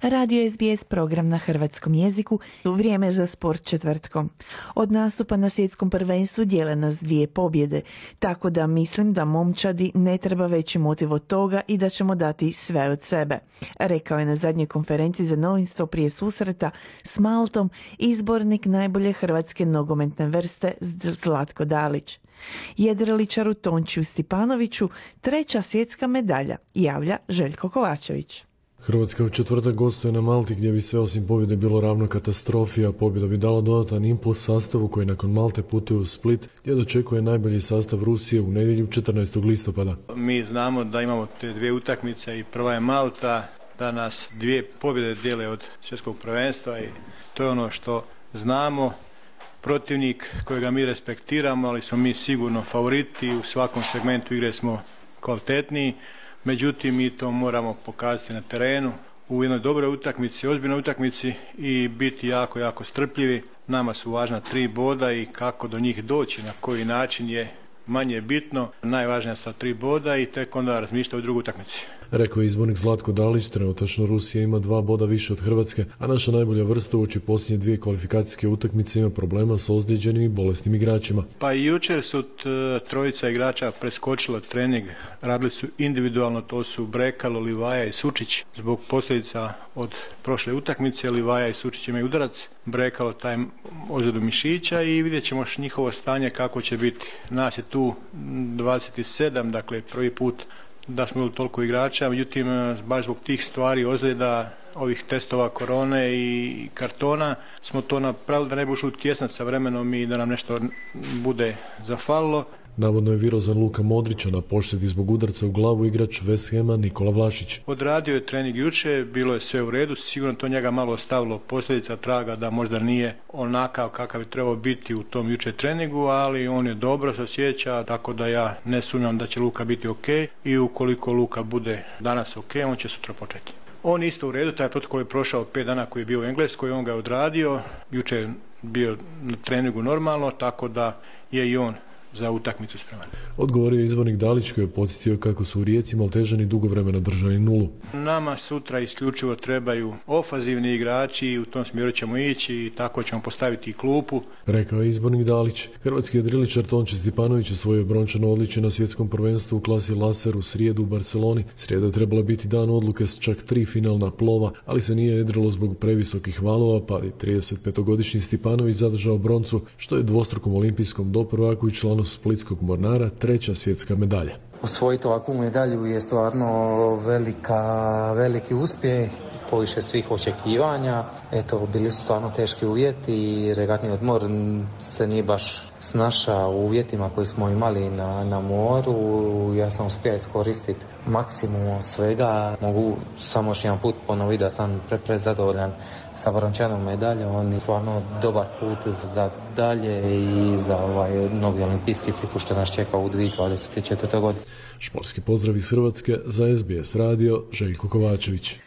Radio SBS program na hrvatskom jeziku, vrijeme za sport četvrtkom. Od nastupa na svjetskom prvenstvu dijele nas 2 pobjede, tako da mislim da momčadi ne treba veći motiv od toga i da ćemo dati sve od sebe, rekao je na zadnjoj konferenciji za novinstvo prije susreta s Maltom izbornik najbolje hrvatske nogometne vrste Zlatko Dalić. Jedriličaru Tončiju Stipanoviću 3. svjetska medalja, javlja Željko Kovačević. Hrvatska u četvrtak gostuje na Malti gdje bi sve osim pobjede bilo ravno katastrofi, a pobjeda bi dala dodatan impuls sastavu koji nakon Malte putuje u Split gdje dočekuje najbolji sastav Rusije u nedjelju 14. listopada. Mi znamo da imamo te 2 utakmice i prva je Malta, da nas 2 pobjede dijele od svjetskog prvenstva i to je ono što znamo. Protivnik kojega mi respektiramo, ali smo mi sigurno favoriti, u svakom segmentu igre smo kvalitetniji. Međutim, mi to moramo pokazati na terenu u jednoj dobroj utakmici, ozbiljnoj utakmici i biti jako, jako strpljivi. Nama su važna 3 boda i kako do njih doći, na koji način je manje bitno. Najvažnija su 3 boda i tek onda razmišljati o drugoj utakmici. Rekao je izbornik Zlatko Dalić, trenutačno Rusija ima 2 boda više od Hrvatske, a naša najbolja vrsta uoči posljednje 2 kvalifikacijske utakmice ima problema s ozlijeđenim i bolesnim igračima. Pa i jučer su 3 igrača preskočila trening, radili su individualno, to su Brekalo, Livaja i Sučić. Zbog posljedica od prošle utakmice Livaja i Sučić imaju udarac, Brekalo taj ozljedu mišića i vidjet ćemo njihovo stanje kako će biti. Nas je tu 27, dakle prvi put da smo imali toliko igrača, međutim baš zbog tih stvari, ozljeda, ovih testova korone i kartona smo to napravili da ne bi ušli u tjesnac sa vremenom i da nam nešto bude zafalilo. Navodno je virozan Luka Modrića na poštedi zbog udarca u glavu igrač West Hama Nikola Vlašić. Odradio je trening juče, bilo je sve u redu, sigurno to njega malo ostavilo posljedica traga da možda nije onakav kakav bi trebao biti u tom juče treningu, ali on je dobro se osjeća, tako da ja ne sumnjam da će Luka biti ok i ukoliko Luka bude danas ok, on će sutra početi. On isto u redu, taj protokol je prošao 5 dana koji je bio u Engleskoj, on ga je odradio, juče je bio na treningu normalno, tako da je i on za utakmicu spreman. Odgovorio je izbornik Dalić koji je podsjetio kako su u Rijeci Maltežani dugo vremena držali nulu. Nama sutra isključivo trebaju ofanzivni igrači i u tom smjeru ćemo ići i tako ćemo postaviti i klupu. Rekao je izbornik Dalić. Hrvatski jedriličar Tonči Stipanović osvojio brončano odličje na svjetskom prvenstvu u klasi laser u srijedu u Barceloni. Srijeda je trebala biti dan odluke s čak 3 finalna plova, ali se nije jedrilo zbog previsokih valova, pa je 35-godišnji Stipanović zadržao broncu, što je dvostrukom olimpijskom doprvaku i članu splitskog mornara 3. svjetska medalja. Osvojiti ovakvu medalju je stvarno veliki uspjeh, poviše svih očekivanja. Eto, bili su stvarno teški uvjeti i regatni odmor se nije baš snašao u uvjetima koji smo imali na moru. Ja sam uspio iskoristiti maksimum svega. Mogu samo još jedan put ponoviti da sam prezadovoljan sa brončanom medaljom. On je stvarno dobar put za dalje i za novi olimpijski ciklus što nas čeka u 2024. godini. Športski pozdrav iz Hrvatske za SBS radio, Željko Kovačević.